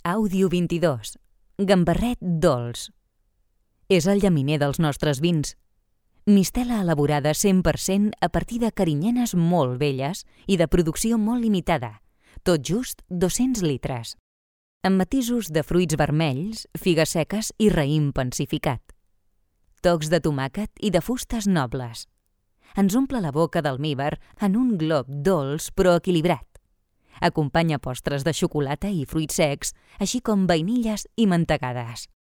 Àudio 22. Gambarret dolç. És el llaminer dels nostres vins. Mistela elaborada 100% a partir de carinyenes molt velles i de producció molt limitada, tot just 200 litres. Amb matisos de fruits vermells, figues seques i raïm pensificat. Tocs de tomàquet i de fustes nobles. Ens omple la boca d'almívar en un glob dolç però equilibrat. Acompanya postres de xocolata i fruits secs, així com vainilles i mantegades.